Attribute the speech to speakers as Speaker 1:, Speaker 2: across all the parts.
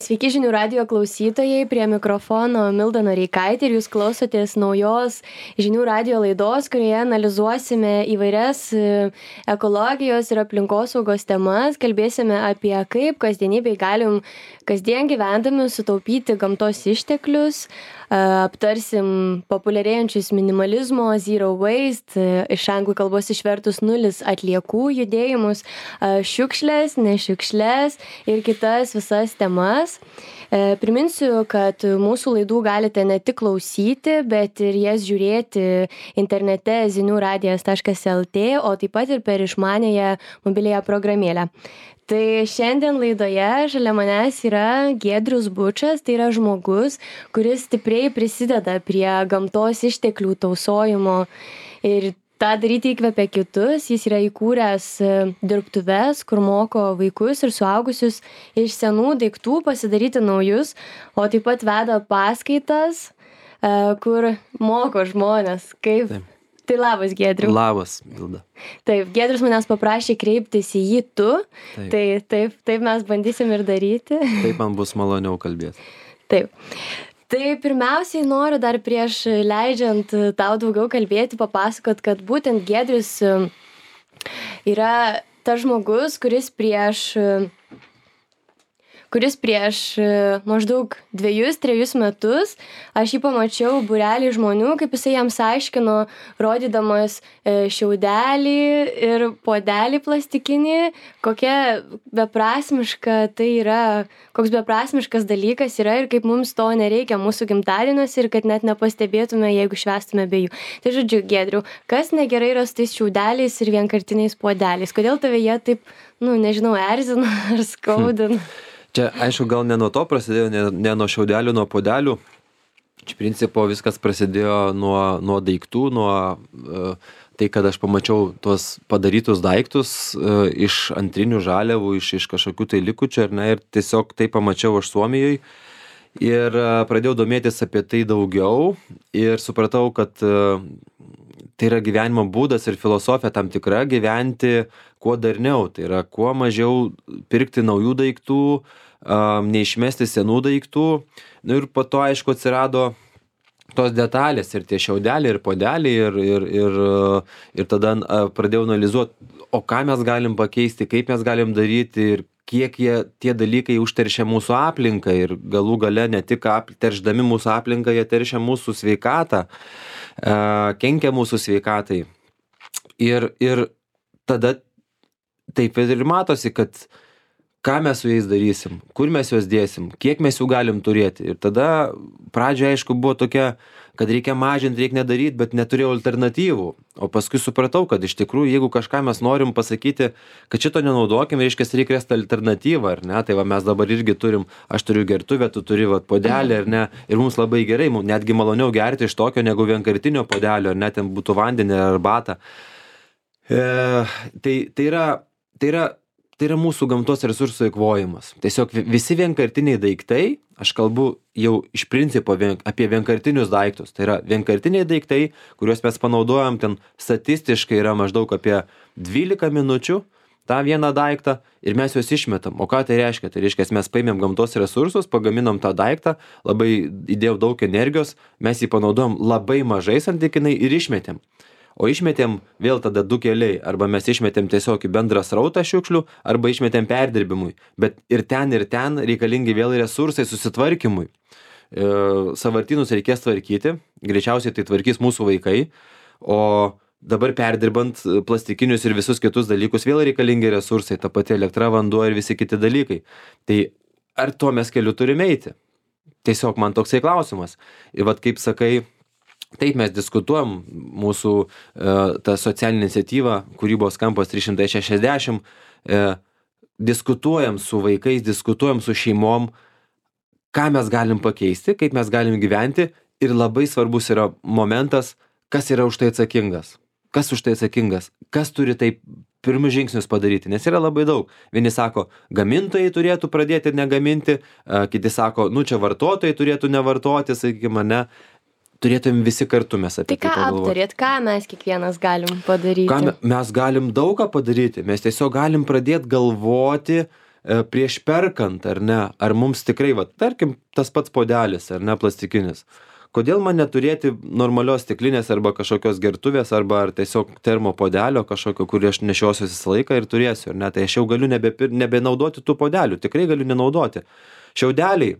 Speaker 1: Sveiki žinių radijo klausytojai, prie mikrofono Milda Noreikaitė ir jūs klausotės naujos žinių radijo laidos, kurioje analizuosime įvairias ekologijos ir aplinkosaugos temas, kalbėsime apie kaip kasdienybėj galim kasdien gyvendami sutaupyti gamtos išteklius, aptarsim populiarėjančius minimalizmo, zero waste, iš anglų kalbos išvertus nulis atliekų judėjimus, šiukšlės, nešiukšlės ir kitas visas temas. Priminsiu, kad mūsų laidų galite ne tik klausyti, bet ir jas žiūrėti internete ziniuradijas.lt, o taip pat ir per išmaniąją mobiliąją programėlę. Tai šiandien laidoje šalia manęs yra Giedrius Bučas, tai yra žmogus, kuris stipriai prisideda prie gamtos išteklių tausojimo ir tą daryti įkvepia kitus. Jis yra įkūręs dirbtuves, kur moko vaikus ir suaugusius iš senų daiktų pasidaryti naujus, o taip pat veda paskaitas, kur moko žmonės, kaip... Taip. Tai labas, Giedriu.
Speaker 2: Labas, Milda.
Speaker 1: Taip, Giedrius manęs paprašė kreiptis į jį tu, taip mes bandysim ir daryti.
Speaker 2: Taip man bus maloniau kalbėti.
Speaker 1: Taip. Tai pirmiausiai noriu dar prieš leidžiant tau daugiau kalbėti, papasakot, kad būtent Giedrius yra tas žmogus, kuris prieš maždaug 2-3 metus aš jį pamačiau būrelį žmonių, kaip jisai jiems aiškino, rodydamas šiaudelį ir puodelį plastikinį, kokia beprasmiška tai yra, koks beprasmiškas dalykas yra ir kaip mums to nereikia mūsų gimtadieniuose ir kad net nepastebėtume, jeigu švęstume be jų. Tai žodžiu, Giedriau, kas negerai yra su tais šiaudeliais ir vienkartiniais puodeliais? Kodėl tave jie taip, nežinau, erzina ar skaudina?
Speaker 2: Čia, aišku, gal ne nuo to prasidėjo, ne nuo šiaudelių, nuo puodelių. Iš principo viskas prasidėjo nuo daiktų, tai, kad aš pamačiau tuos padarytus daiktus iš antrinių žaliavų, iš kažkokių tai likučių, ir tiesiog tai pamačiau aš Suomijoje. Ir pradėjau domėtis apie tai daugiau ir supratau, kad tai yra gyvenimo būdas ir filosofija tam tikra gyventi kuo darniau. Tai yra kuo mažiau pirkti naujų daiktų, neišmesti senų daiktų. Ir po to, aišku, atsirado tos detalės ir tie šiaudeliai ir puodeliai ir tada pradėjau analizuoti, o ką mes galim pakeisti, kaip mes galim daryti ir kiek tie dalykai užteršia mūsų aplinką ir galų gale ne tik teršdami mūsų aplinką, jie teršia mūsų sveikatą, kenkia mūsų sveikatai. Ir tada taip ir matosi, kad ką mes su jais darysim, kur mes juos dėsim, kiek mes jų galim turėti. Ir tada pradžioje, aišku, buvo tokia, kad reikia mažinti, reikia nedaryti, bet neturėjau alternatyvų. O paskui supratau, kad iš tikrųjų, jeigu kažką mes norim pasakyti, kad šito nenaudokim, reiškia, reikia rasti alternatyvą, ar ne? Tai va, mes dabar irgi turim, aš turiu gertuvę, tu turi puodelį, ar ne? Ir mums labai gerai, netgi maloniau gerti iš tokio negu vienkartinio puodelio, ar ne, ten būtų vandenį ar arbatą. Tai yra mūsų gamtos resursų eikvojimas. Tiesiog visi vienkartiniai daiktai, aš kalbu jau iš principo apie vienkartinius daiktus. Tai yra vienkartiniai daiktai, kuriuos mes panaudojam, ten statistiškai yra maždaug apie 12 minučių tą vieną daiktą ir mes juos išmetam. O ką tai reiškia? Tai reiškia, mes paėmėm gamtos resursus, pagaminom tą daiktą, labai įdėjau daug energijos, mes jį panaudojom labai mažai santykinai ir išmetėm. O išmetėm vėl tada du keliai, arba mes išmetėm tiesiog į bendrą srautą šiukšlių, arba išmetėm perdirbimui. Bet ir ten reikalingi vėl resursai susitvarkymui. Sąvartynus reikės tvarkyti, greičiausiai tai tvarkys mūsų vaikai, o dabar perdirbant plastikinius ir visus kitus dalykus vėl reikalingi resursai, ta pati elektra, vanduo ir visi kiti dalykai. Tai ar tuo mes keliu turime eiti? Tiesiog man toksai klausimas. Ir vat kaip sakai, taip mes diskutuojam mūsų tą socialinę iniciatyvą, kūrybos kampas 360, diskutuojam su vaikais, diskutuojam su šeimom, ką mes galim pakeisti, kaip mes galim gyventi ir labai svarbus yra momentas, kas yra už tai atsakingas. Kas už tai atsakingas? Kas turi taip pirmus žingsnius padaryti? Nes yra labai daug. Vieni sako, gamintojai turėtų pradėti negaminti, kiti sako, čia vartotojai turėtų nevartoti, sakykime, ne. Turėtum visi kartu mes apie tai pagalvoti.
Speaker 1: Tai ką aptarėt, ką mes kiekvienas galim padaryti?
Speaker 2: Mes galim daug ką padaryti. Mes tiesiog galim pradėti galvoti, prieš perkant, ar ne, ar mums tikrai, va, tarkim, tas pats puodelis, ar ne, plastikinis. Kodėl man neturėti normalios stiklinės arba kažkokios gertuvės, arba ar tiesiog termo puodelio kažkokio, kurį aš nešiosiu visą laiką ir turėsiu, ar ne, tai aš jau galiu nebenaudoti tų puodelių, tikrai galiu nenaudoti. Šiaudeliai,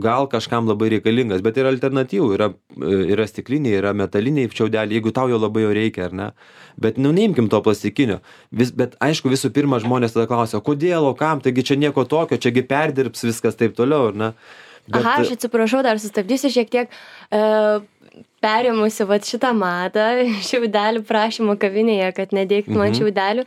Speaker 2: gal kažkam labai reikalingas, bet yra alternatyvų, yra stikliniai, yra metaliniai šiaudeliai, jeigu tau jau labai jo reikia, ar ne. Bet neimkim to plastikinio. Bet aišku, visų pirma, žmonės tada klausia, kodėl, o kam, taigi čia nieko tokio, čiagi perdirbs viskas taip toliau, ar ne.
Speaker 1: Bet... Aha, aš atsiprašau, dar sustabdysiu šiek tiek. Perėmusi šitą madą, šiaudelių prašymo kavinėje, kad nedėkit man šiaudelių.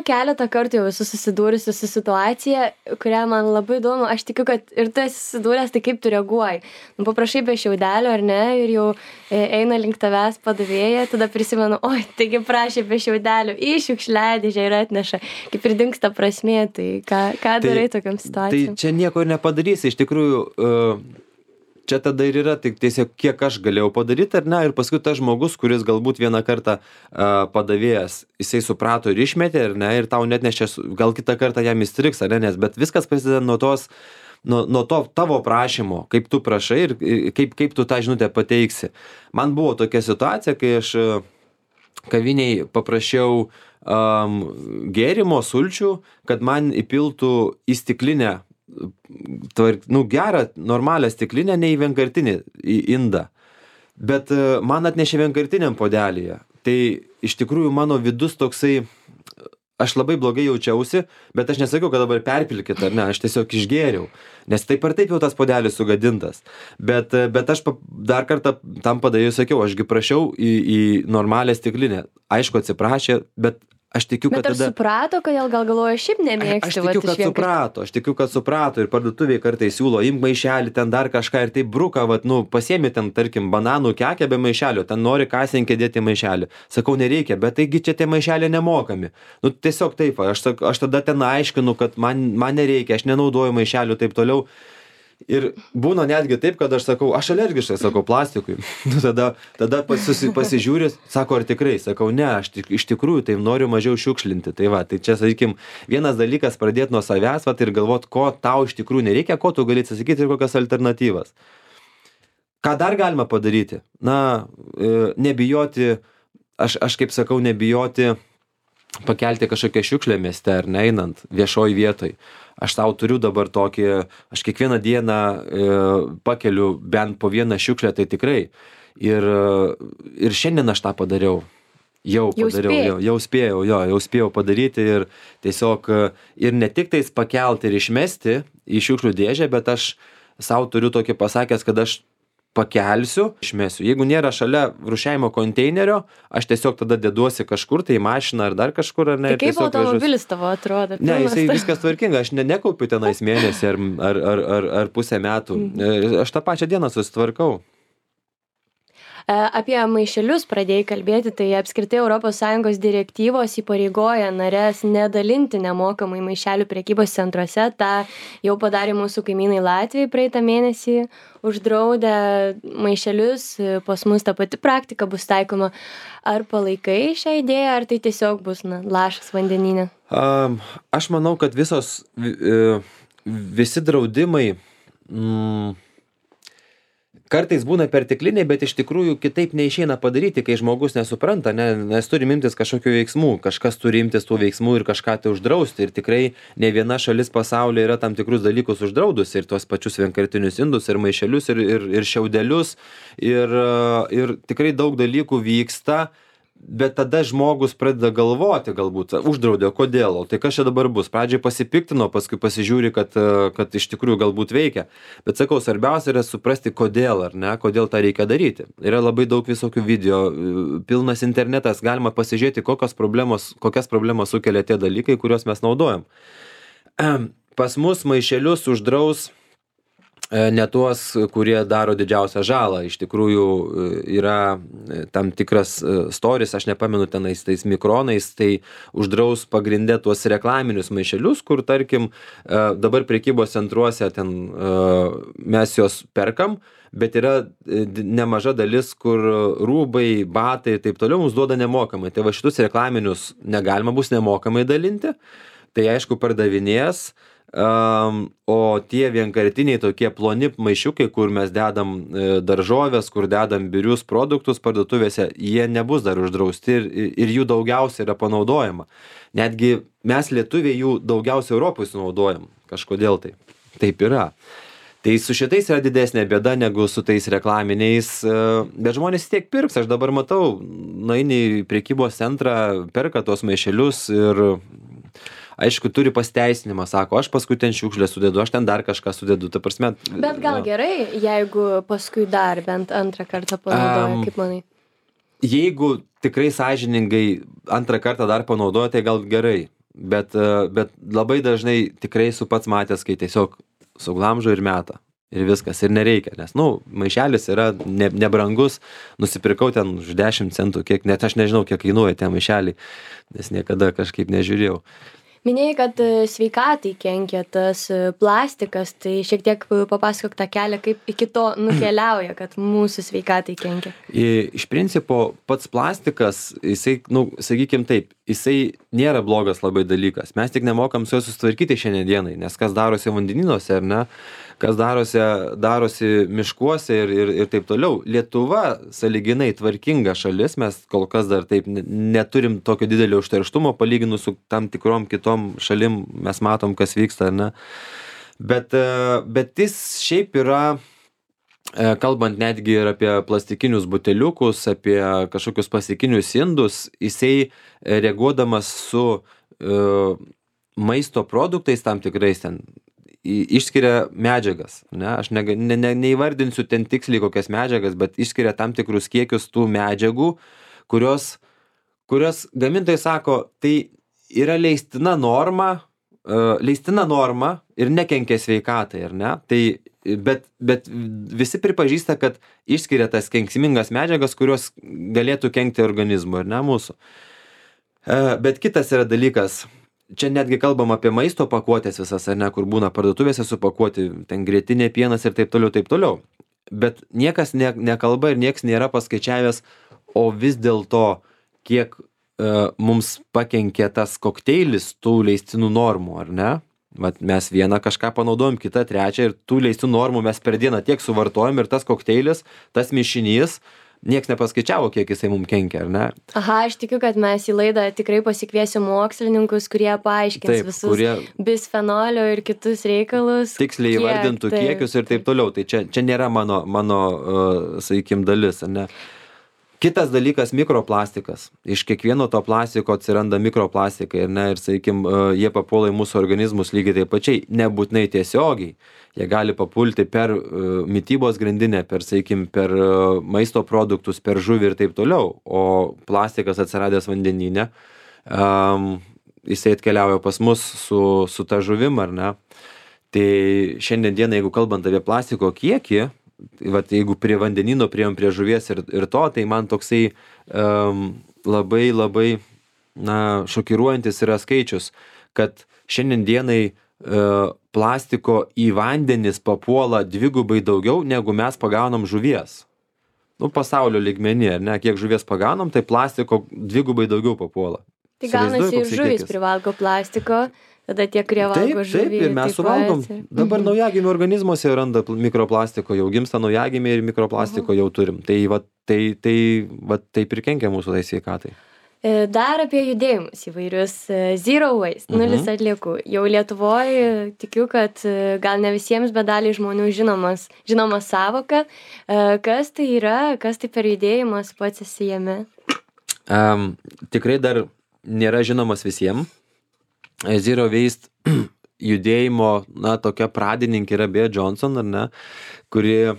Speaker 1: Keletą kartų jau esu susidūrusi su situacija, kurią man labai įdomu. Aš tikiu, kad ir tu esi susidūręs, tai kaip tu reaguoji. Paprašai be šiaudelių, ar ne, ir jau eina link tavęs padavėja, tada prisimenu, taigi prašė be šiaudelių, į šiukšliadėžę ir atneša. Kaip ir dingsta prasmė, tai ką darai tokiam situacijom?
Speaker 2: Tai čia nieko ir nepadarysi, iš tikrųjų... Čia tada ir yra tik tiesiog, kiek aš galėjau padaryti, ar ne, ir paskui tas žmogus, kuris galbūt vieną kartą padavėjas, jisai suprato ir išmetė, ar ne, ir tau net nešė, gal kitą kartą jam įstriks, ar ne, bet viskas prasideda nuo to tavo prašymo, kaip tu prašai ir kaip tu tą žinutę pateiksi. Man buvo tokia situacija, kai aš kaviniai paprašiau gėrimo, sulčių, kad man įpiltų į stiklinę gerą, normalią stiklinę, ne į vienkartinį, į indą. Bet man atnešė vienkartiniam puodelyje. Tai iš tikrųjų mano vidus toksai, aš labai blogai jaučiausi, bet aš nesakiau, kad dabar perpilkit, ar ne, aš tiesiog išgėriau. Nes taip ar taip jau tas puodelis sugadintas. Bet aš dar kartą tam padėjau, sakiau, ašgi prašiau į normalią stiklinę. Aišku, atsiprašė, bet aš tikiu, kad
Speaker 1: tada... Bet ar suprato, kodėl gal galvoja šiaip nemėgsti?
Speaker 2: Aš tikiu, kad suprato ir parduotuviai kartais siūlo, imk maišelį, ten dar kažką ir taip bruka, pasiemi ten, tarkim, bananų kekę be maišelio, ten nori kasininkė dėti maišelį. Sakau, nereikia, bet taigi čia tie maišeliai nemokami. Tiesiog taip, aš tada ten aiškinu, kad man nereikia, aš nenaudoju maišelių, taip toliau. Ir būna netgi taip, kad aš sakau, aš alergiškai, sakau, plastikui. Tada pasižiūri, sako, ar tikrai, sakau, ne, aš iš tikrųjų tai noriu mažiau šiukšlinti. Tai čia, sakykim, vienas dalykas pradėti nuo savęs ir galvoti, ko tau iš tikrųjų nereikia, ko tu gali atsisakyti ir kokias alternatyvas. Ką dar galima padaryti? Nebijoti, aš kaip sakau, nebijoti pakelti kažkokią šiukšlę mieste ar neinant viešoj vietoj. Aš tau turiu dabar tokį, aš kiekvieną dieną pakeliu bent po vieną šiukšlę, tai tikrai. Ir šiandien aš tą padariau. Jau spėjau padaryti ir tiesiog ir ne tik tais pakelti ir išmesti į šiukšlių dėžę, bet aš savo turiu tokį pasakęs, kad aš pakelsiu, išmesiu. Jeigu nėra šalia rūšiavimo konteinerio, aš tiesiog tada deduosi kažkur, tai į mašiną ar dar kažkur, ar ne.
Speaker 1: Tai kaip automobilis tavo atrodo?
Speaker 2: Ne, jisai viskas tvarkinga, aš nekaupiu tenais mėnesį ar pusę metų. Aš tą pačią dieną susitvarkau.
Speaker 1: Apie maišelius pradėjai kalbėti, tai apskritai ES direktyvos įpareigoja nares nedalinti nemokamai maišelių prekybos centruose. Ta jau padarė mūsų kaimynai Latvijai praeitą mėnesį, uždraudė maišelius, pas mus ta pati praktika bus taikoma. Ar palaikai šią idėją, ar tai tiesiog bus lašas vandenyne?
Speaker 2: Aš manau, kad visi draudimai kartais būna pertekliniai, bet iš tikrųjų kitaip neišeina padaryti, kai žmogus nesupranta, nes turi imtis kažkokių veiksmų, kažkas turi imtis tų veiksmų ir kažką tai uždrausti. Ir tikrai ne viena šalis pasaulyje yra tam tikrus dalykus uždraudusi, ir tuos pačius vienkartinius indus, ir maišelius, ir šiaudelius, ir tikrai daug dalykų vyksta. Bet tada žmogus pradeda galvoti, galbūt uždraudė, kodėl, tai kas čia dabar bus. Pradžiai pasipiktino, paskui pasižiūri, kad iš tikrųjų galbūt veikia. Bet sakau, svarbiausia yra suprasti, kodėl, ar ne, kodėl tą reikia daryti. Yra labai daug visokių video, pilnas internetas, galima pasižiūrėti, kokias problemas sukelia tie dalykai, kuriuos mes naudojam. Pas mus maišelius uždraus ne tuos, kurie daro didžiausią žalą. Iš tikrųjų yra tam tikras storis, aš nepamenu tenais tais mikronais, tai uždraus pagrinde tuos reklaminius maišelius, kur tarkim dabar prekybos centruose ten mes juos perkam, bet yra nemaža dalis, kur rūbai, batai ir taip toliau mums duoda nemokamai. Tai va šitus reklaminius negalima bus nemokamai dalinti. tai aišku pardavinės, o tie vienkartiniai tokie ploni maišiukai, kur mes dedam daržovės, kur dedam birius produktus parduotuvėse, jie nebus dar uždrausti ir jų daugiausia yra panaudojama. Netgi mes lietuviai jų daugiausia Europoje sunaudojam, kažkodėl tai. Taip yra. Tai su šitais yra didesnė bėda negu su tais reklaminiais, bet žmonės tiek pirks, aš dabar matau, nueini į prekybos centrą, perka tos maišelius ir aišku, turi pasiteisinimą, sako, aš paskui ten šiukšlę sudedu, aš ten dar kažką sudedu, ta prasme.
Speaker 1: Bet gal gerai, jeigu paskui dar bent antrą kartą panaudoja, kaip manai?
Speaker 2: Jeigu tikrai sąžiningai antrą kartą dar panaudoja, tai gal gerai, bet labai dažnai tikrai esu pats matęs, kai tiesiog suglamžo ir meta. Ir viskas, ir nereikia, nes, maišelis yra nebrangus, nusipirkau ten už 10 centų, net aš nežinau, kiek kainuoja tie maišeliai, nes niekada kažkaip nežiūrėjau.
Speaker 1: Minėjai, kad sveikatai kenkia tas plastikas, tai šiek tiek papasakok tą kelią, kaip iki to nukeliauja, kad mūsų sveikatai kenkia.
Speaker 2: Iš principo, pats plastikas, jisai, sakykim taip, jisai nėra blogas labai dalykas. Mes tik nemokam su juo susitvarkyti šiandien dienai, nes kas darosi vandenynuose, ar ne, kas darosi miškuose ir taip toliau. Lietuva sąlyginai tvarkinga šalis, mes kol kas dar taip neturim tokio didelio užterštumo, palyginus su tam tikrom kitom šalim, mes matom, kas vyksta, ar ne. Bet jis šiaip yra, kalbant netgi ir apie plastikinius buteliukus, apie kažkokius plastikinius indus, jisai reaguodamas su maisto produktais tam tikrais ten išskiria medžiagas, ne, aš neįvardinsiu ten tiksliai kokias medžiagas, bet išskiria tam tikrus kiekius tų medžiagų, kurios gamintojai sako, tai yra leistina norma ir nekenkia sveikatai, ar ne? Tai, bet visi pripažįsta, kad išskiria tas kenksmingas medžiagas, kurios galėtų kenkti organizmui, ar ne, mūsų. Bet kitas yra dalykas, čia netgi kalbam apie maisto pakuotės visas, ar ne, kur būna parduotuvėse supakuoti, ten grietinė, pienas ir taip toliau. Bet niekas nekalba ir niekas nėra paskaičiavęs, o vis dėlto, kiek mums pakenkė tas kokteilis tų leistinų normų, ar ne? Vat mes vieną kažką panaudojom, kitą trečią ir tų leistų normų mes per dieną tiek suvartojom ir tas kokteilis, tas mišinys, nieks nepaskaičiavo, kiek jisai mums kenkia, ar ne?
Speaker 1: Aha, aš tikiu, kad mes į laidą tikrai pasikviesiu mokslininkus, kurie paaiškins visus bisfenolio ir kitus reikalus.
Speaker 2: Tiksliai įvardintų kiekius ir taip toliau. Tai čia nėra mano sakykim, dalis, ar ne? Kitas dalykas – mikroplastikas. Iš kiekvieno to plastiko atsiranda mikroplastikai, ar ne? Ir, sakykim, jie papuola į mūsų organizmus lygiai taip pačiai, nebūtinai tiesiogiai. Jie gali papulti per mitybos grandinę, per maisto produktus, per žuvį ir taip toliau. O plastikas atsiradęs vandenyne, jisai atkeliauja pas mus su ta žuvim, ar ne? Tai šiandien dieną, jeigu kalbant apie plastiko kiekį, vat, jeigu prie vandenyno priėjom prie žuvies ir to, tai man toksai labai šokiruojantis yra skaičius, kad šiandien dienai plastiko į vandenis papuola dvigubai daugiau, negu mes pagaunam žuvies. Pasaulio lygmenį, ar ne, kiek žuvies pagaunam, tai plastiko dvigubai daugiau papuola.
Speaker 1: Tai gaunasi ir žuvis privalgo plastiko, tada tie, kurie valgo žuvį.
Speaker 2: Taip, ir mes suvalgom. Dabar naujagimių organizmuose randa mikroplastiko, jau gimsta naujagimiai ir mikroplastiko jau turim. Tai taip ir kenkia mūsų sveikatai.
Speaker 1: Dar apie judėjimus įvairius. Zero waste, nulis atliekų. Jau Lietuvoje tikiu, kad gal ne visiems, bet daliai žmonių žinoma savoka. Kas tai yra, kas tai per judėjimas, pats esi jame?
Speaker 2: Tikrai dar nėra žinomas visiems. Zero waste judėjimo, tokia pradininkė yra Bea Johnson, ar ne, kuri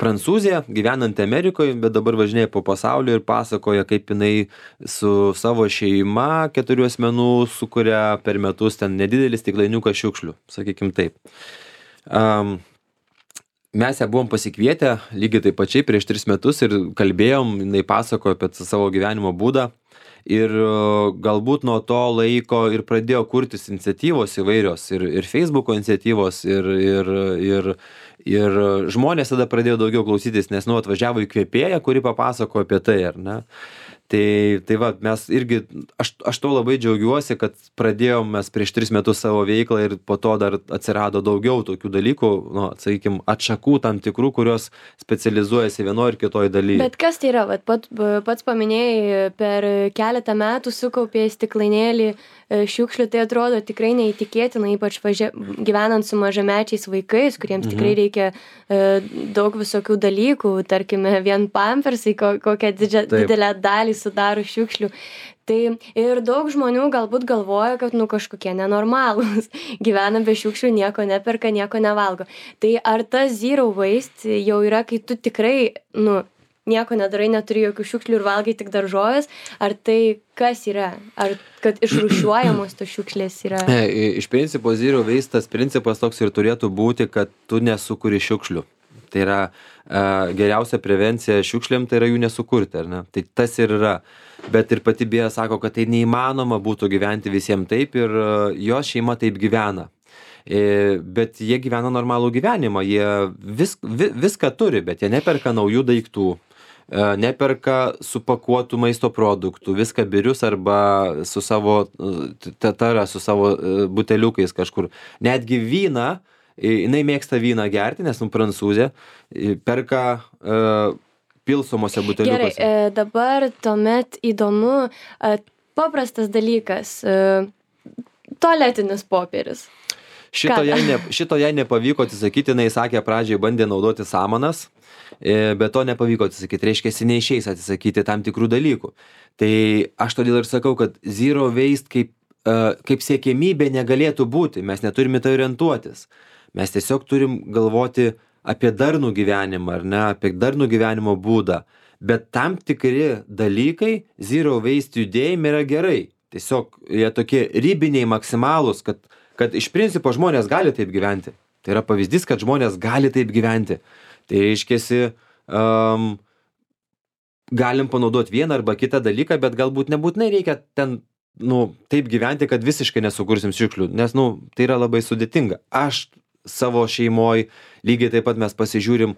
Speaker 2: prancūzė, gyvenanti Amerikoje, bet dabar važinėja po pasaulio ir pasakoja, kaip jinai su savo šeima 4 asmenų sukuria per metus ten nedidelis stiklainiuką šiukšlių, sakykim taip. Mes ją buvom pasikvietę lygiai taip pačiai prieš 3 metus ir kalbėjom, jinai pasakojo apie savo gyvenimo būdą. Ir galbūt nuo to laiko ir pradėjo kurtis iniciatyvos įvairios, ir Facebooko iniciatyvos, ir žmonės tada pradėjo daugiau klausytis, nes atvažiavo įkvėpėja, kuri papasakojo apie tai, ar ne. Tai va, mes irgi, aš to labai džiaugiuosi, kad pradėjom mes prieš 3 metus savo veiklą ir po to dar atsirado daugiau tokių dalykų, nu, sakykime, atšakų tam tikrų, kurios specializuojasi vienoje ir kitoje dalyje.
Speaker 1: Bet kas tai yra? Vat pats paminėjai, per keletą metų sukaupė stiklainėlį šiukšlių, tai atrodo tikrai neįtikėtina, ypač gyvenant su mažamečiais vaikais, kuriems tikrai reikia daug visokių dalykų, tarkime, vien pampersai, kokią didelę dalį sudaro šiukšlių. Tai ir daug žmonių galbūt galvoja, kad kažkokie nenormalūs, gyvena be šiukšlių, nieko neperka, nieko nevalgo. Tai ar tas zero waste jau yra, kai tu tikrai, nieko nedarai, neturi jokių šiukšlių ir valgai tik daržovės, ar tai kas yra? Ar kad išrūšiuojamos tos šiukšlės yra?
Speaker 2: Iš principo zero waste tas principas toks ir turėtų būti, kad tu nesukuri šiukšlių. Tai yra geriausia prevencija šiukšlėm, tai yra jų nesukurti, ar ne? Tai tas ir yra. Bet ir pati Bėja sako, kad tai neįmanoma būtų gyventi visiems taip ir jo šeima taip gyvena. Bet jie gyvena normalų gyvenimą, jie viską turi, bet jie neperka naujų daiktų, neperka supakuotų maisto produktų, viską birius arba su savo tatara, su savo buteliukais kažkur. Netgi vyną, jinai mėgsta vyną gerti, nes prancūzė, perka pilsomose buteliukose.
Speaker 1: Gerai, dabar tuomet įdomu, paprastas dalykas, tualetinis popieris.
Speaker 2: Šito jai nepavyko atsisakyti, jinai sakė, pradžiai bandė naudoti samanas, bet to nepavyko atsisakyti, reiškia, neišeis atsisakyti tam tikrų dalykų. Tai aš todėl ir sakau, kad zero waste kaip siekiamybė negalėtų būti, mes neturime tai orientuotis. Mes tiesiog turim galvoti apie darnų gyvenimą, ar ne, apie darnų gyvenimo būdą. Bet tam tikri dalykai zero waste judėjime yra gerai. Tiesiog jie tokie ribiniai maksimalūs, kad iš principo žmonės gali taip gyventi. Tai yra pavyzdys, kad žmonės gali taip gyventi. Tai reiškiasi, galim panaudoti vieną arba kitą dalyką, bet galbūt nebūtinai reikia ten taip gyventi, kad visiškai nesukursim šiukšlių, nes tai yra labai sudėtinga. Aš savo šeimoj lygiai taip pat mes pasižiūrim,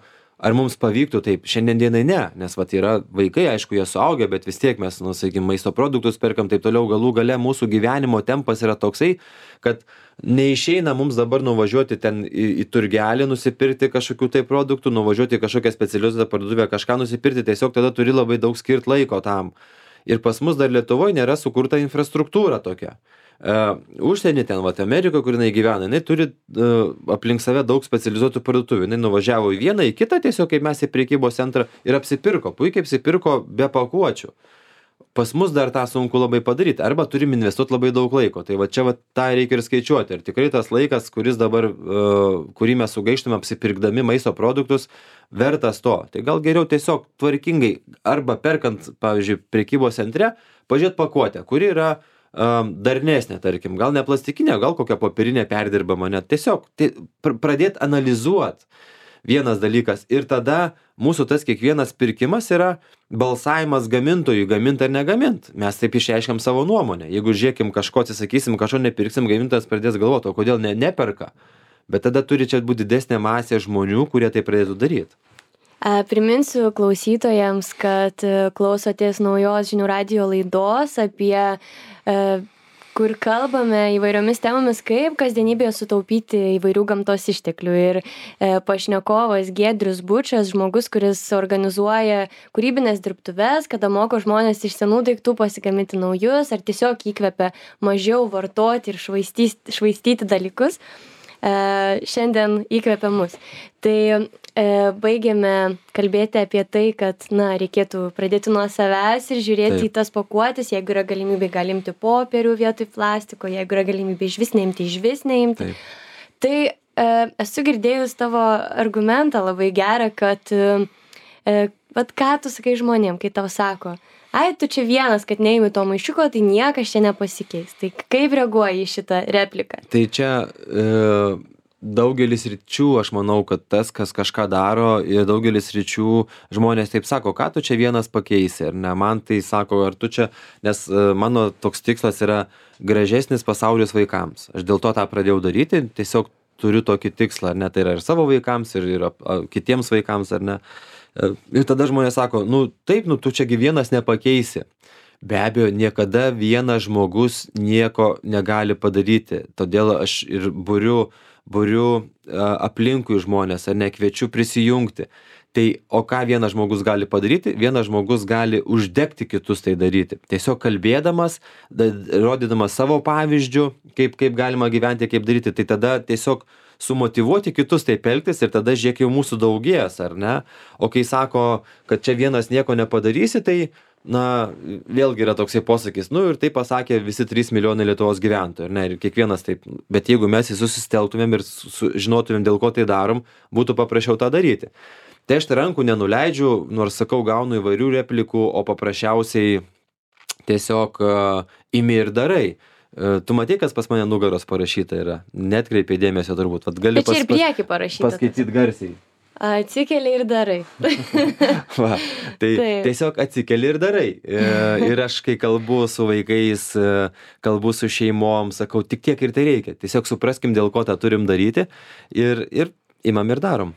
Speaker 2: ar mums pavyktų taip. Šiandien dienai ne, nes yra vaikai, aišku, jie suaugę, bet vis tiek mes, sakykime, maisto produktus perkam, taip toliau, galų gale mūsų gyvenimo tempas yra toksai, kad neišeina mums dabar nuvažiuoti ten į turgelį, nusipirkti kažkokių tai produktų, nuvažiuoti į kažkokią specializuotą parduotuvę, kažką nusipirkti, tiesiog tada turi labai daug skirt laiko tam. Ir pas mus dar Lietuvoje nėra sukurta infrastruktūra tokia. Užsienį ten, Amerikoje, kur jinai gyvena, jinai turi aplink save daug specializuotų parduotuvių. Jinai nuvažiavo į vieną, į kitą, tiesiog kaip mes į prekybos centrą ir apsipirko, puikiai apsipirko be pakuočių. Pas mus dar tą sunku labai padaryti, arba turim investuoti labai daug laiko. Tai čia tą reikia ir skaičiuoti. Ir tikrai tas laikas, kuris dabar, kurį mes sugaištume apsipirkdami maisto produktus, vertas to. Tai gal geriau tiesiog tvarkingai, arba perkant, pavyzdžiui, prekybos centre, pažiūrėti pakuotę, kuri yra darnesnė, tarkim, gal ne plastikinė, gal kokia popierinė perdirbama, net tiesiog pradėti analizuoti. Vienas dalykas. Ir tada mūsų tas kiekvienas pirkimas yra balsavimas gamintojui, gamint ar negamint. Mes taip išreiškiam savo nuomonę. Jeigu žiūrėkim kažko atsisakysim, kažko nepirksim, gamintojas pradės galvoti, o kodėl neperka. Bet tada turi čia būti didesnė masė žmonių, kurie tai pradėtų daryti.
Speaker 1: Priminsiu klausytojams, kad klausotės naujos Žinių radijo laidos apie kur kalbame įvairiomis temomis, kaip kasdienybėje sutaupyti įvairių gamtos išteklių. Ir pašnekovas Giedrius Bučas, žmogus, kuris organizuoja kūrybinės dirbtuves, kada moko žmonės iš senų daiktų pasigaminti naujus, ar tiesiog įkvepia mažiau vartoti ir švaistyti dalykus. Šiandien įkvepia mus. Tai baigėme kalbėti apie tai, kad reikėtų pradėti nuo savęs ir žiūrėti į tas pakuotes, jeigu yra galimybė galimti popierių vietoj plastiko, jeigu yra galimybė išvis neimti. Tai esu girdėjus tavo argumentą labai gerą, kad ką tu sakai žmonėm, kai tau sako, tu čia vienas, kad neimi to maišiuko, tai niekas čia nepasikeis. Tai kaip reaguoji į šitą repliką?
Speaker 2: Tai čia daugelis ryčių, aš manau, kad tas, kas kažką daro, ir daugelis ryčių žmonės taip sako, ką tu čia vienas pakeisi, ar ne? Man tai sako, ar tu čia, nes mano toks tikslas yra gražesnis pasaulis vaikams. Aš dėl to tą pradėjau daryti, tiesiog turiu tokį tikslą, ar ne, tai yra ir savo vaikams, ir kitiems vaikams, ar ne. Ir tada žmonės sako, nu taip, nu tu čiagi vienas nepakeisi. Be abejo, niekada vienas žmogus nieko negali padaryti, todėl aš ir buriu aplinkui žmonės, ar ne, kviečiu prisijungti. Tai o ką vienas žmogus gali padaryti? Vienas žmogus gali uždegti kitus tai daryti. Tiesiog kalbėdamas, rodydamas savo pavyzdžių, kaip galima gyventi, kaip daryti, tai tada tiesiog sumotyvuoti kitus taip elgtis ir tada žiūrėk jau mūsų daugės, ar ne? O kai sako, kad čia vienas nieko nepadarysi, tai na, vėlgi yra toksai posakis, nu ir tai pasakė visi 3 milijonai Lietuvos gyventojų, ar ne, ir kiekvienas taip, bet jeigu mes susiteltumėm ir žinotumėm, dėl ko tai darom, būtų paprasčiau tą daryti. Tai aš rankų nenuleidžiu, nors sakau, gaunu įvairių replikų, o paprasčiausiai tiesiog imi ir darai. Tu matai, kas pas mane nugaros parašyta yra, netkreipė dėmesio turbūt. Vat gali
Speaker 1: bet čia ir priekį parašyta.
Speaker 2: Paskaityti garsiai.
Speaker 1: Atsikeli ir darai.
Speaker 2: Va, tai tiesiog atsikeli ir darai. Ir aš, kai kalbu su vaikais, kalbu su šeimom, sakau, tik tiek ir tai reikia. Tiesiog supraskim, dėl ko tą turim daryti ir imam ir darom.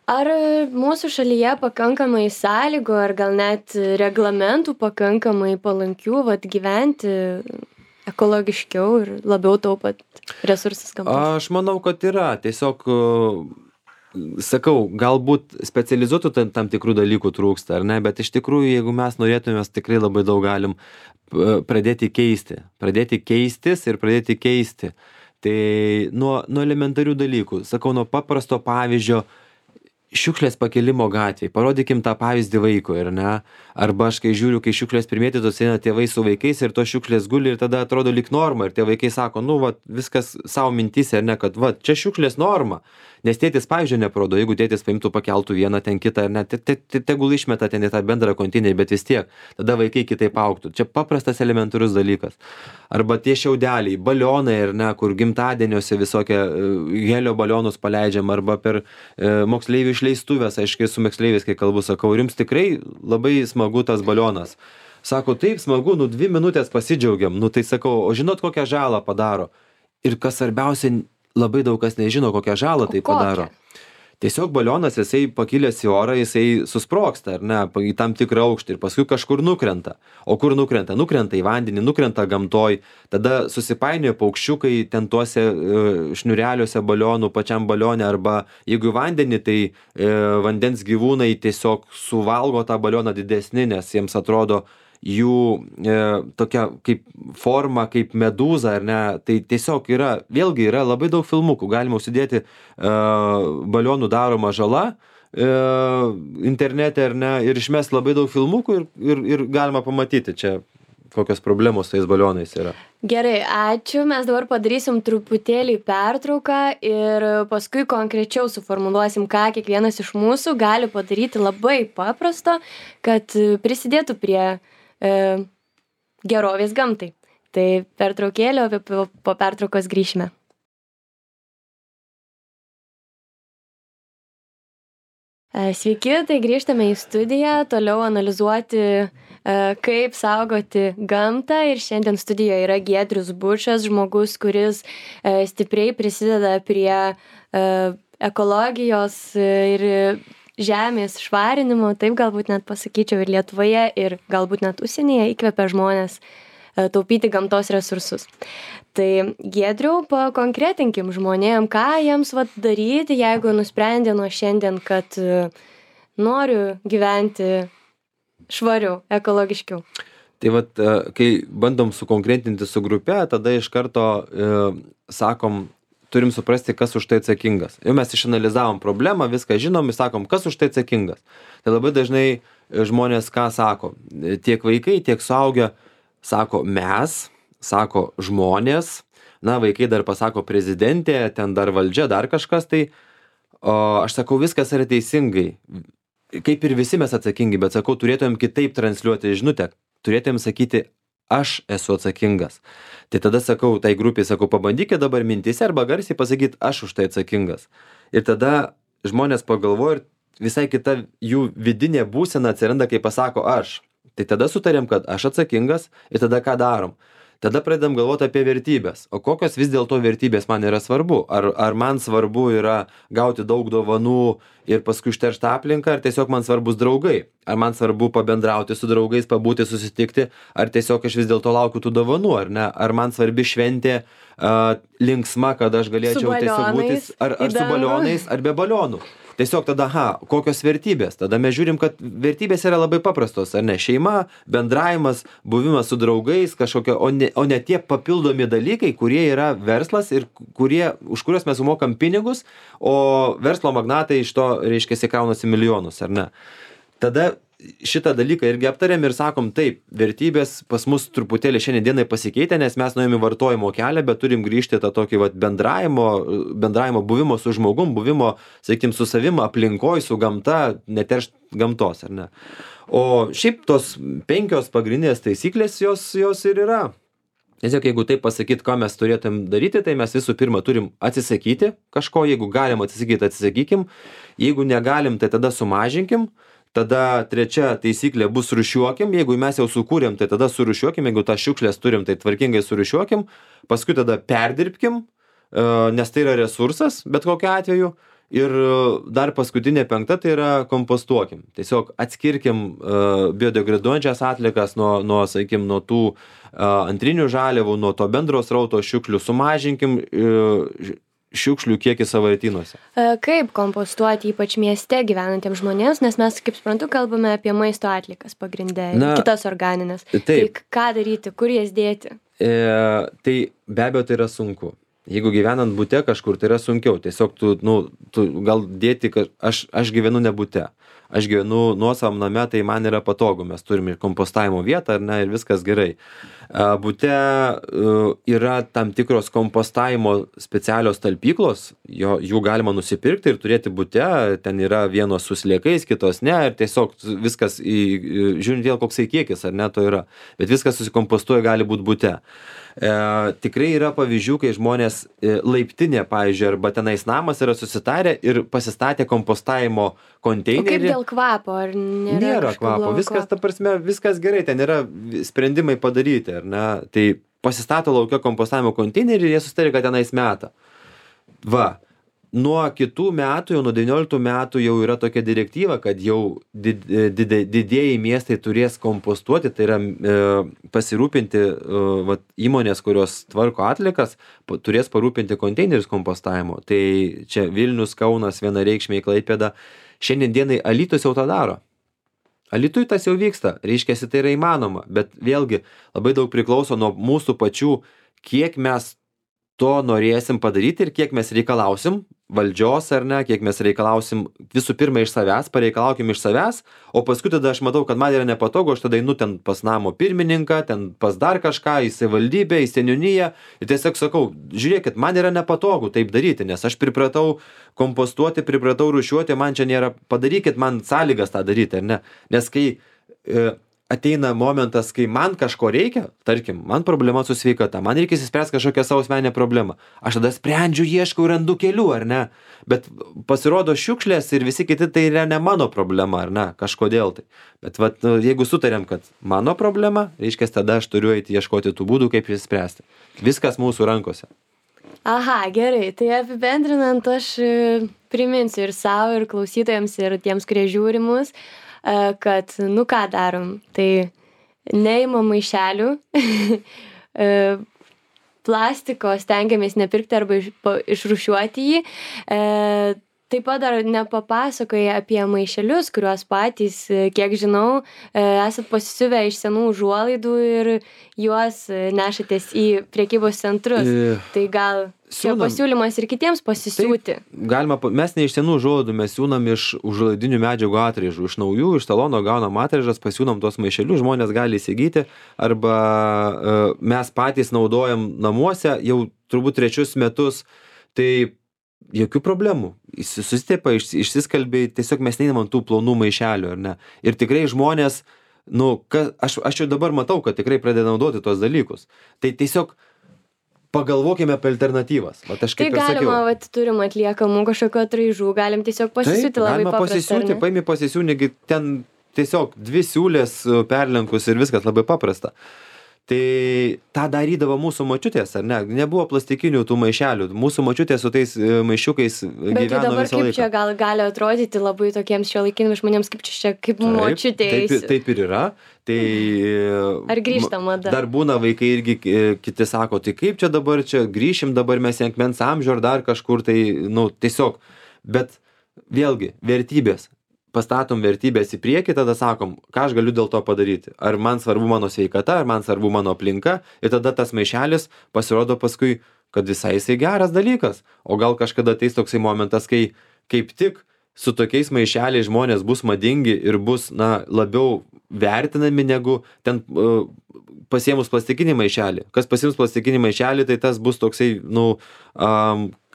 Speaker 1: Ar mūsų šalyje pakankamai sąlygų, ar gal net reglamentų pakankamai palankių gyventi ekologiškiau ir labiau taupant resursus gamtos?
Speaker 2: Aš manau, kad yra. Tiesiog sakau, galbūt specializuotų tam tikrų dalykų trūksta, ar ne, bet iš tikrųjų, jeigu mes norėtume, mes tikrai labai daug galim pradėti keistis ir pradėti keisti. Tai nuo elementarių dalykų, sakau, nuo paprasto pavyzdžio, šiukšlės pakėlimo gatvėj, parodykim tą pavyzdį vaikui, ar ne? Arba aš kai žiūriu, kai šiukšlės primėtytos, eina tėvai su vaikais ir tos šiukšlės guli ir tada atrodo lyg norma ir tie vaikai sako, nu, va, viskas savo mintyse, ar ne, kad, va, čia šiukšlės norma. Nes tėtis pavyzdžio neprodo, jeigu tėtis paimtų, pakeltų vieną ten kitą, ar ne, tegul išmeta ten į tą bendrą konteinerį, bet vis tiek, tada vaikai kitaip augtų. Čia paprastas elementarus dalykas. Arba tie šiaudeliai, balionai, ar ne, kur gimtadieniuose visokie helio balionus paleidžiam, arba per moksleivių išleistuvės, aiškiai su moksleiviais, kai kalbu, sakau, ir jums tikrai labai smagu tas balionas. Sako, taip smagu, nu 2 minutės pasidžiaugiam, nu tai sakau, o žinot, kokią žalą padaro? Ir kas svarbiausia, labai daug kas nežino, kokią žalą tai padaro. Tiesiog balionas, jisai pakilęs į orą, jisai susprogsta, ar ne, į tam tikrą aukštį ir paskui kažkur nukrenta. O kur nukrenta? Nukrenta į vandenį, nukrenta gamtoj, tada susipainioja paukščiukai ten tuose šniureliuose balionų, pačiam balione, arba jeigu į vandenį, tai vandens gyvūnai tiesiog suvalgo tą balioną didesnį, nes jiems atrodo jų tokia kaip forma, kaip medūza, ar ne, tai tiesiog vėlgi yra labai daug filmukų, galima užsidėti balionų daroma žala internete, ar ne, ir išmest labai daug filmukų ir galima pamatyti čia, kokios problemos tais balionais yra.
Speaker 1: Gerai, ačiū, mes dabar padarysim truputėlį pertrauką ir paskui konkrečiau suformuluosim, ką kiekvienas iš mūsų gali padaryti labai paprasto, kad prisidėtų prie gerovės gamtai. Tai pertraukėlė, po pertraukos grįšime. Sveiki, tai grįžtame į studiją, toliau analizuoti, kaip saugoti gamtą, ir šiandien studijoje yra Giedrius Bučas, žmogus, kuris stipriai prisideda prie ekologijos ir žemės švarinimo, taip galbūt net pasakyčiau, ir Lietuvoje, ir galbūt net užsienyje įkvepia žmonės taupyti gamtos resursus. Tai Giedriau, pakonkretinkim žmonėm, ką jiems daryti, jeigu nusprendė nuo šiandien, kad noriu gyventi švariau, ekologiškiau.
Speaker 2: Tai kai bandom sukonkretinti su grupe, tada iš karto sakom, turim suprasti, kas už tai atsakingas. Jau mes išanalizavom problemą, viską žinom ir sakom, kas už tai atsakingas. Tai labai dažnai žmonės ką sako, tiek vaikai, tiek suaugę sako mes, sako žmonės, na, vaikai dar pasako prezidentė, ten dar valdžia, dar kažkas, tai o aš sakau, viskas yra teisingai. Kaip ir visi mes atsakingi, bet sakau, turėtumėm kitaip transliuoti žinutę, turėtumėm sakyti, aš esu atsakingas. Tai tada sakau, tai grupiai sakau, pabandykite dabar mintyse arba garsiai pasakyti, aš už tai atsakingas. Ir tada žmonės pagalvoja ir visai kita jų vidinė būsena atsiranda, kai pasako aš. Tai tada sutarėm, kad aš atsakingas ir tada ką darom. tada pradedam galvoti apie vertybės. O kokios vis dėlto vertybės man yra svarbu? Ar man svarbu yra gauti daug dovanų ir paskui užterštą aplinką, ar tiesiog man svarbus draugai? Ar man svarbu pabendrauti su draugais, pabūti, susitikti, ar tiesiog aš vis dėlto laukiu tų dovanų, ar ne? Ar man svarbi šventė linksma, kad aš galėčiau tiesiog būti, ar su balionais, ar be balionų? Tiesiog tada, kokios vertybės? Tada mes žiūrim, kad vertybės yra labai paprastos, ar ne? Šeima, bendravimas, buvimas su draugais, kažkokia, o ne tie papildomi dalykai, kurie yra verslas ir už kuriuos mes sumokam pinigus, o verslo magnatai iš to, reiškia, kraunasi milijonus, ar ne? Tada šitą dalyką irgi aptarėm ir sakom, taip, vertybės pas mus truputėlį šiandien dienai pasikeitė, nes mes nuėjome vartojimo kelią, bet turim grįžti tą tokį bendravimo, buvimo su žmogum, buvimo, sakykim, su savim, aplinkoj, su gamta, neteršt gamtos, ar ne? O šiaip tos 5 pagrindinės taisyklės, jos ir yra. Tiesiog, jeigu taip pasakyt, ką mes turėtum daryti, tai mes visų pirma turim atsisakyti kažko, jeigu galim atsisakyti, atsisakykim, jeigu negalim, tai tada sumažinkim. Tada 3 taisyklė bus rūšiuokim, jeigu mes jau sukūrėm, tai tada surūšiuokim, jeigu tą šiukšlės turim, tai tvarkingai surūšiuokim, paskui tada perdirbkim, nes tai yra resursas, bet kokiu atveju, ir dar paskutinė 5 tai yra kompostuokim. Tiesiog atskirkim biodegraduojančias atlikas nuo, sakykim, nuo tų antrinių žaliavų, nuo to bendro srauto šiukšlių, sumažinkim šiukšlių kiekį sąvartynuose.
Speaker 1: Kaip kompostuoti ypač mieste gyvenantiems žmonėms, nes mes, kaip suprantu, kalbame apie maisto atlikas pagrindę, kitas organinės. Tai ką daryti, kur jas dėti?
Speaker 2: Tai be abejo tai yra sunku. Jeigu gyvenant bute kažkur, tai yra sunkiau. Tiesiog tu gal dėti, aš gyvenu ne bute. Aš gyvenu nuosavam name, tai man yra patogu. Mes turime ir kompostavimo vietą, ar ne, ir viskas gerai. Bute yra tam tikros kompostavimo specialios talpyklos, jų galima nusipirkti ir turėti bute, ten yra vienos su sliekais, kitos ne, ir tiesiog viskas, žiūrint vėl koksai kiekis, ar ne, to yra, bet viskas susikompostuoja, gali būti bute. Tikrai yra pavyzdžių, kai žmonės laiptinė, pavyzdžiui, arba tenais namas yra susitarę ir pasistatė kompostavimo konteinerį.
Speaker 1: O kaip dėl kvapo, ar
Speaker 2: nėra kvapo? Viskas, ta prasme, viskas gerai, ten yra sprendimai padaryti, ar ne? Tai pasistato laukia kompostavimo konteinerį ir jie susitarė, kad tenais meta. Va. Nuo kitų metų, jau nuo 19 metų jau yra tokia direktyva, kad jau didieji miestai turės kompostuoti, tai yra pasirūpinti įmonės, kurios tvarko atlikas, turės parūpinti konteinerius kompostavimo. Tai čia Vilnius, Kaunas, vienareikšmiai Klaipėda. Šiandien dienai Alytus jau tą daro. Alytui tas jau vyksta, reiškiasi tai yra įmanoma, bet vėlgi labai daug priklauso nuo mūsų pačių, kiek mes to norėsim padaryti ir kiek mes reikalausim valdžios, ar ne, kiek mes reikalausim visų pirma iš savęs, pareikalaukim iš savęs, o paskui tada aš matau, kad man yra nepatogu, aš tada einu ten pas namo pirmininką, ten pas dar kažką, į savivaldybę, į seniūniją ir tiesiog sakau, žiūrėkit, man yra nepatogu taip daryti, nes aš pripratau kompostuoti, pripratau rūšiuoti, man čia nėra, padarykit man sąlygas tą daryti, ar ne, nes kai ateina momentas, kai man kažko reikia, tarkim, man problema su sveikata, man reikia įsispręsti kažkokią savo asmeninę problemą. Aš tada sprendžiu, ieškau, randu kelių, ar ne? Bet pasirodo šiukšlės ir visi kiti tai yra ne mano problema, ar ne? Kažkodėl tai. Bet jeigu sutarėm, kad mano problema, reiškia, tada aš turiu eiti ieškoti tų būdų, kaip įsispręsti. Viskas mūsų rankose.
Speaker 1: Aha, gerai. Tai apibendrinant, aš priminsiu ir savo, ir klausytojams, ir tiems, kurie žiūri mus, kad, ką darom, tai neimam maišelių, plastiko stengiamės nepirkti arba išrūšiuoti jį. Taip pat dar nepapasakojai apie maišelius, kuriuos patys, kiek žinau, esat pasisiuvę iš senų užuolaidų ir juos nešatės į prekybos centrus. Tai gal čia pasiūlymas ir kitiems pasisiūti.
Speaker 2: Galima, mes ne iš senų užuolaidų, mes siūnam iš užuolaidinių medžiagų atraižų, iš naujų, iš talono gaunam atraižas, pasiūnam tuos maišelius, žmonės gali įsigyti, arba mes patys naudojam namuose jau turbūt 3 metus, tai jokių problemų. Susitepa, išsiskalbiai, tiesiog mes neįnam tų plonų maišelių, ar ne? Ir tikrai žmonės, aš jau dabar matau, kad tikrai pradeda naudoti tos dalykus. Tai tiesiog pagalvokime apie alternatyvas.
Speaker 1: Tai galima, turim atliekamų kažkokio atraižų, galim tiesiog pasisiūti labai paprastą.
Speaker 2: Paimi pasisiūti, ten tiesiog 2 siūlės perlenkus ir viskas labai paprasta. Tai tą darydavo mūsų močiutės, ar ne? Nebuvo plastikinių tų maišelių. Mūsų močiutės su tais maišiukai
Speaker 1: Bet tai
Speaker 2: gyveno
Speaker 1: dabar
Speaker 2: visą
Speaker 1: kaip
Speaker 2: laiką.
Speaker 1: čia gali atrodyti labai tokiems šiuolaikiniams žmonėms, kaip čia kaip močiutė eisiu.
Speaker 2: Taip ir yra. Tai,
Speaker 1: Ar grįžta mada?
Speaker 2: Dar būna vaikai irgi kiti sako, tai kaip čia dabar čia grįšim, dabar mes į akmens amžių ar dar kažkur, tai, nu, tiesiog. Bet vėlgi, vertybės. Pastatom vertybės į priekį, tada sakom, ką aš galiu dėl to padaryti. Ar man svarbu mano sveikata, ar man svarbu mano aplinka. Ir tada tas maišelis pasirodo paskui, kad visai jisai geras dalykas. O gal kažkada ateis toksai momentas, kai kaip tik su tokiais maišeliais žmonės bus madingi ir bus, na, labiau vertinami negu ten pasiėmus plastikinį maišelį. Kas pasiims plastikinį maišelį, tai tas bus toksai, nu,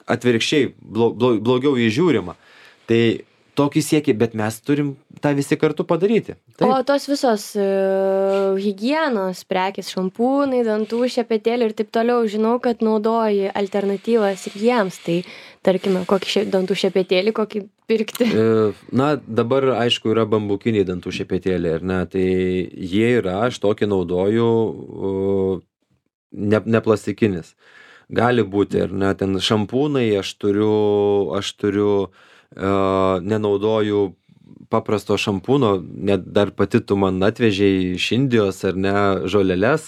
Speaker 2: atvirkščiai, blogiau įžiūrima. Tai tokį siekį, bet mes turim tą visi kartu padaryti.
Speaker 1: Taip. O tos visos higienos prekės, šampūnai, dantų šepetėliai ir taip toliau, žinau, kad naudoji alternatyvas ir jiems, tai tarkime, kokį dantų šepetėlį, kokį pirkti?
Speaker 2: Na, dabar, aišku, yra bambukiniai dantų šepetėliai, ar ne, tai jie yra, aš tokį naudoju, ne plastikinis. Gali būti, ar ne, ten šampūnai, aš turiu nenaudoju paprasto šampūno, net dar pati tu man atvežei iš Indijos ar ne žoleles,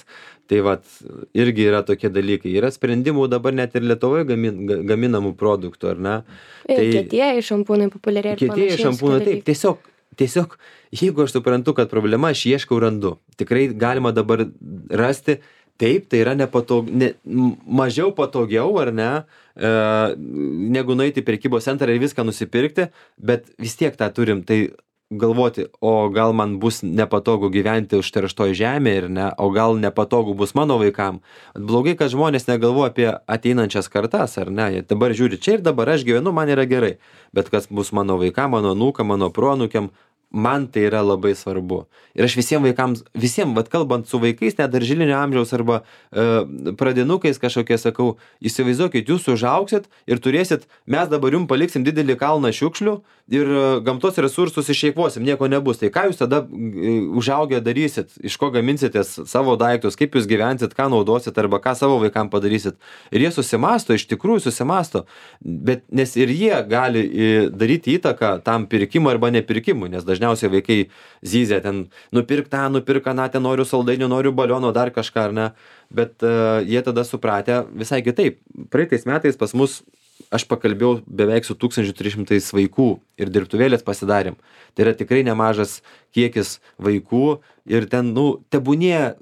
Speaker 2: tai vat irgi yra tokie dalykai. Yra sprendimų dabar net ir Lietuvoje gaminamų produktų, ar ne?
Speaker 1: Tai kietieji šampūnai populiariai ir panašiai.
Speaker 2: Kietieji šampūnai, taip, tiesiog, jeigu aš suprantu, kad problema, aš ieškau randu. Tikrai galima dabar rasti. Taip, tai yra mažiau patogiau, ar ne, negu nueiti į prekybos centrą ir viską nusipirkti, bet vis tiek tą turim, tai galvoti, o gal man bus nepatogu gyventi užterštoj žemėje, ir ne, o gal nepatogu bus mano vaikam. Blogai, kad žmonės negalvoja apie ateinančias kartas, ar ne, jie dabar žiūri, čia ir dabar aš gyvenu, man yra gerai, bet kas bus mano vaikam, mano anūkam, mano proanūkiam, man tai yra labai svarbu. Ir aš visiems vaikams, vat kalbant su vaikais, net darželinio amžiaus arba pradinukais kažkokie sakau, įsivaizduokit, jūs užaugsit ir turėsit, mes dabar jums paliksim didelį kalną šiukšlių ir gamtos resursus išeikvosim, nieko nebus. Tai ką jūs tada užaugę darysit, iš ko gaminsitės savo daiktus, kaip jūs gyvensit, ką naudosit arba ką savo vaikam padarysit. Ir jie susimąsto, iš tikrųjų susimąsto, bet nes ir jie gali daryti įtaką tam pirkimui arba nepirkimui, nes dažniausiai vaikai zyzia ten, nupirk tą, nupirk aną, ten noriu saldainių, noriu baliono, dar kažką, ar ne, bet jie tada supratę visai kitaip. Praeitais metais pas mus aš pakalbėjau beveik su 1300 vaikų ir dirbtuvėlės pasidarėm. Tai yra tikrai nemažas kiekis vaikų ir ten, nu, tebūnie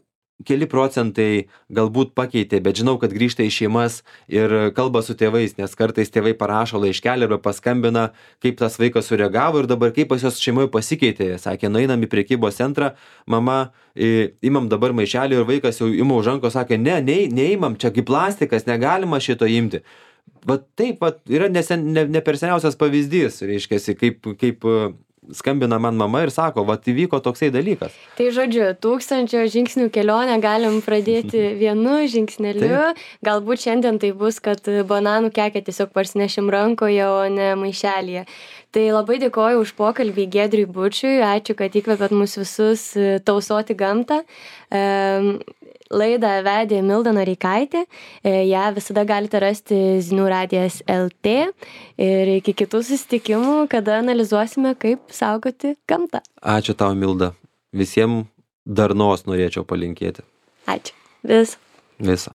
Speaker 2: keli procentai galbūt pakeitė, bet žinau, kad grįžta į šeimas ir kalba su tėvais, nes kartais tėvai parašo laiškelį arba paskambina, kaip tas vaikas sureagavo ir dabar kaip pas jos šeimoje pasikeitė. Sakė, nueinam į prekybos centrą, mama, imam dabar maišelį ir vaikas jau ima už rankos, sakė, neimam, čia kaip plastikas, negalima šito imti. Vat taip, vat, yra ne per seniausias pavyzdys, reiškiasi, kaip skambina man mama ir sako, vat įvyko toksai dalykas.
Speaker 1: Tai žodžiu, 1000 žingsnių kelionę galim pradėti vienu žingsneliu. Taip. Galbūt šiandien tai bus, kad bananų kekę tiesiog parsinešim rankoje, o ne maišelyje. Tai labai dėkoju už pokalbį Giedriui Bučiui, ačiū, kad įkvėpėt mus visus tausoti gamtą. Laidą vedė Milda Noreikaitė, ją visada galite rasti Zinių radijas LT ir iki kitų susitikimų, kada analizuosime, kaip saugoti gamtą.
Speaker 2: Ačiū tau, Milda. Visiems darnos norėčiau palinkėti.
Speaker 1: Ačiū. Viso.